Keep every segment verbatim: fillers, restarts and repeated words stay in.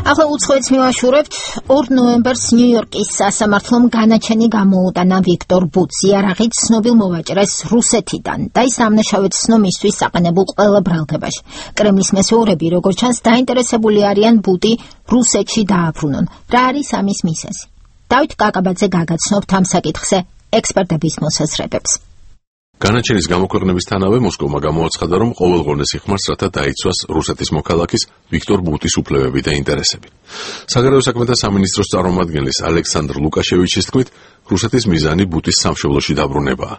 ახლა უცხოეთს მივაშურებთ. ორ ნოემბერს ნიუ-იორკის სასამართლომ განაჩენი გამოუტანა ვიქტორ ბუტს იარაღით ცნობილ მოვაჭრეს რუსეთიდან და ის დამნაშავედ ცნო მისთვის საყენებულ ყველა ბრალდებაში. კრემლის მესეურები, როგორც ჩანს, დაინტერესებული არიან ბუტი რუსეთში დააბრუნონ. რა არის ამის მიზეზი? დავით კაკაბაძე გაგაცნობთ ამ საკითხზე ექსპერტების მოსაზრებებს. განაჩენის გამოქვეყნებისთანავე მოსკოვმა გამოაცხადა, რომ ყოველღონეს იხმარს, რათა დაიცვას რუსეთის მოქალაქის ვიქტორ ბუტის უფლებები და ინტერესები. საგარეო საქმეთა სამინისტროს წარმომადგენლის ალექსანდრ ლუკაშევიჩის თქმით, რუსეთის მიზანი ბუტის სამშობლოში დაბრუნებაა.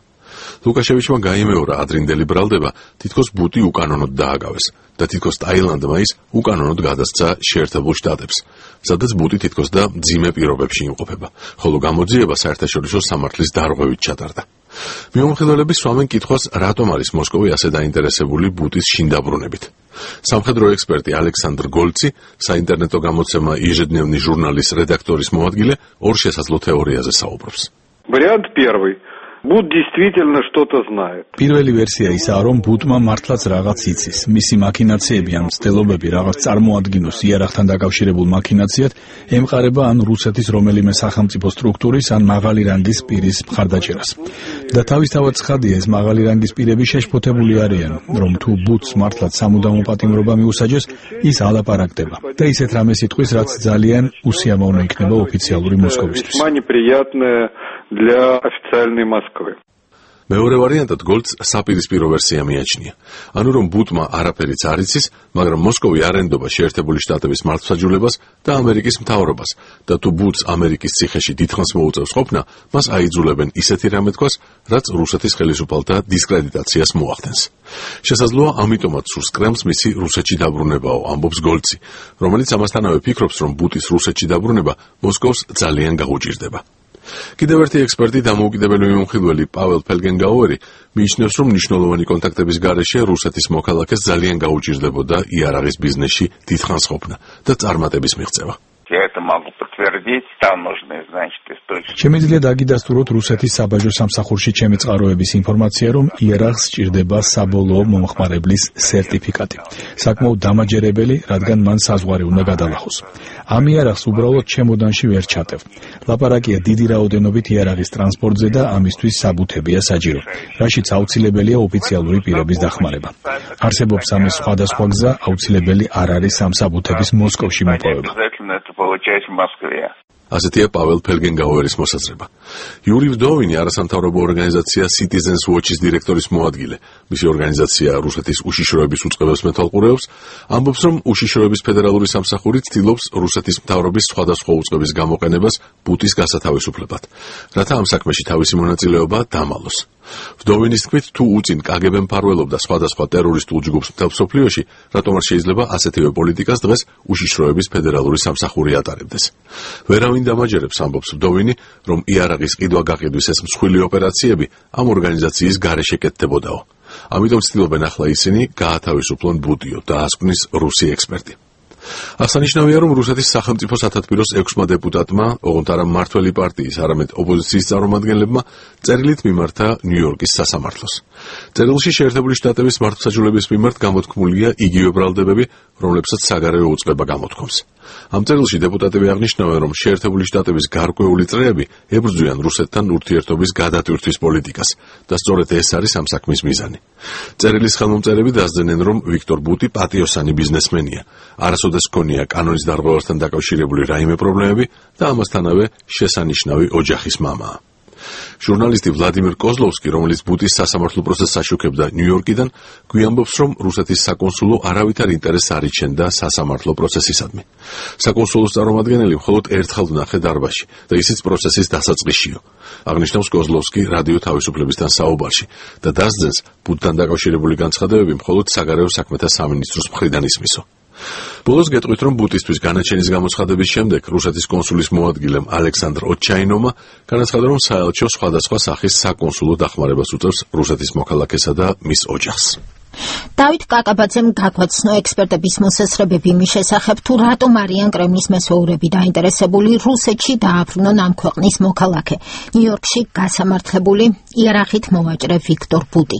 ლუკაშევიჩმა გაიმეორა ადრინდელი ბრალდება, თითქოს ბუტი უკანონოდ დააგავეს და თითქოს ტაილანდმა ის უკანონოდ გადასცა შეერთებულ შტატებს, სადაც ბუტი თითქოს და მძიმე პირობებში იმყოფება, ხოლო გამოძიება საერთაშორისო სამართლის დარღვევით ჩატარდა. მიმომხილველები სვამენ კითხვას, რატომ არის მოსკოვი ასე დაინტერესებული ბუტის შინ დაბრუნებით. სამხედრო ექსპერტი ალექსანდრ გოლცი, საინტერნეტო გამოცემა ежедневный ჟურნალის რედაქტორის მოადგილე, ორ შესაძლო თეორიაზე საუბრობს. Вариант первый. Бут действительно что-то знает. Პირველი ვერსია ისაა, რომ ბუტმა მართლაც რაღაც იცის. მისი მაქინაციები ან მცდელობები რაღაც წარმოადგინოს იარაღთან დაკავშირებულ მაქინაციად ემყარება ან რუსეთის რომელიმე სახელმწიფო სტრუქტურის ან მაღალი რანგის პირის მხარდაჭერას. და თავისთავად ცხადია, ეს მაღალი რანგის პირები შეშფოთებული არიან, რომ თუ ბუტს მართლაც სამუდამო პატიმრობა მიუსაჯეს, ის ალაპარაკდება. და ისეთ რამეს იტყვის, რაც ძალიან უსიამოვნო იქნება ოფიციალური მოსკოვისთვის. Для официальной Москвы. მეორე ვარიანტად გოლდს საპირისპირო ვერსია მიაჩნია. ანუ რომ ბუტმა არაფერიც არ იცის, მაგრამ მოსკოვი არ ენდობა შეერთებული შტატების მართლმსაჯულებას და ამერიკის მთავრობას და თუ ბუტს ამერიკის ციხეში დიდხანს მოუწევს ყოფნა, მას აიძულებენ ისეთი რამე თქვას, რაც რუსეთის ხელისუფალთა დისკრედიტაციას მოახდენს. შესაძლოა ამიტომაც სურს კრემლს მისი რუსეთში დაბრუნებაო, ამბობს გოლდსი, რომელიც ამასთანავე ფიქრობს, რომ ბუტის რუსეთში დაბრუნება მოსკოვს ძალიან გაუჭირდება. კიდევ ერთი ექსპერტი, დამოუკიდებელი მიმოხილველი პაվել ფელგენგაუერი, მიიჩნევს, რომ მნიშვნელოვანი კონტაქტების გარეშე რუსეთის მოქალაქეს ძალიან გაუჭირდებოდა იარაღის ბიზნესში დიდხანს ყოფნა და წარმატების მიღწევა. შემიძლია დაგიდასტუროთ რუსეთის საბაჟო სამსახურში ჩემი წყაროების ინფორმაცია, რომ იარაღს სჭირდება საბოლოო მომხმარებლის სერტიფიკატი. საკმაოდ დამაჯერებელი, რადგან მან საზღვარი უნდა გადალახოს. ამ იარაღს უბრალოდ ჩემოდანში ვერ ჩატევ. ლაპარაკია დიდი რაოდენობით იარაღის ტრანსპორტზე და ამისთვის საბუთებია საჭირო, რაშიც აუცილებელია ოფიციალური პირების დახმარება. არსებობს ამის სხვადასხვა გზა, აუცილებელი არ არის ამ საბუთების მოსკოვში მოპოვება. ასეთია პაվել ფელგენგაუერის მოსაზრება. იური ვდოვინი, არასამთავრობო ორგანიზაცია Citizens Watch-ის დირექტორის მოადგილე, მისი ორგანიზაცია რუსეთის უშიშროების უწყებებს მეთვალყურეობს, ამბობს, რომ უშიშროების ფედერალური სამსახური ცდილობს რუსეთის მთავრობის სხვადასხვა უწყების გამოყენებას ბუტის გასათავისუფლებად, რათა ამ საქმეში თავისი მონაწილეობა დამალოს. ვდოვინის თქმით, თუ უწინ კაგებე მფარველობდა სხვადასხვა ტერორისტულ ჯგუფს მთელ მსოფლიოში, რატომ არ შეიძლება ასეთივე პოლიტიკას დღეს უშიშროების ფედერალური სამსახური ატარებდეს. ვერავინ დამაჯერებს, ამბობს ვდოვინი, რომ იარაღის ყიდვა-გაყიდვის ეს მსხვილი ოპერაციები ამ ორგანიზაციის გარეშე კეთდებოდაო. ამიტომ ცდილობენ ახლა ისინი გაათავისუფლონ ბუტიო, დაასკვნის რუსი ექსპერტი. აღსანიშნავია, რომ რუსეთის სახელმწიფო სათათბიროს ექვსმა დეპუტატმა, ოღონდ არა მმართველი პარტიის, არამედ ოპოზიციის წარმომადგენლებმა წერილით მიმართა ნიუ-იორკის სასამართლოს. წერილში შეერთებული შტატების მართლმსაჯულების მიმართ გამოთქმულია იგივე ბრალდებები, რომლებსაც საგარეო უწყება გამოთქვამს. ამ წერილში დეპუტატები აღნიშნავენ, რომ შეერთებული შტატების გარკვეული წრეები ებრძვიან რუსეთთან ურთიერთობის გადატვირთვის პოლიტიკას და სწორედ ეს არის ამ საქმის მიზანი. წერილის ხელმომწერები დასძენენ, რომ ვიქტორ ბუტი პატიოსანი ბიზნესმენია, არასოდეს ჰქონია კანონის დარღვევასთან დაკავშირებული რაიმე პრობლემები და ამასთანავე შესანიშნავი ოჯახის მამაა. ჟურნალისტი ვლადიმირ კოზლოვსკი, რომელიც ბუტის სასამართლო პროცესს აშუქებდა ნიუ-იორკიდან, გვიამბობს, რომ რუსეთის საკონსულო არავითარ ინტერესს არ იჩენდა სასამართლო პროცესისადმი. საკონსულოს წარმომადგენელი მხოლოდ ერთხელ ვნახე დარბაზში და ისიც პროცესის დასაწყისშიო. აღნიშნავს კოზლოვსკი რადიო თავისუფლებისთან საუბარში და დასძენს, ბუტთან დაკავშირებული განცხადებები მხოლოდ საგარეო საქმეთა სამინისტროს მხრიდან ისმისო. ბოლოს გეტყვით, რომ ბუტისთვის განაჩენის გამოცხადების შემდეგ რუსეთის კონსულის მოადგილემ ალექსანდრ ოჩაინოვმა განაცხადა, რომ საელჩო სხვადასხვა სახის საკონსულო დახმარებას უწევს რუსეთის მოქალაქესა და მის ოჯახს. დავით კაკაბაძემ გაგვაცნო ექსპერტების მოსაზრებები იმის შესახებ, თუ რატომ არიან კრემლის მესეურები დაინტერესებული რუსეთში დააბრუნონ ამ ქვეყნის მოქალაქე, ნიუ-იორკში გასამართლებული იარაღით მოვაჭრე ვიქტორ ბუტი.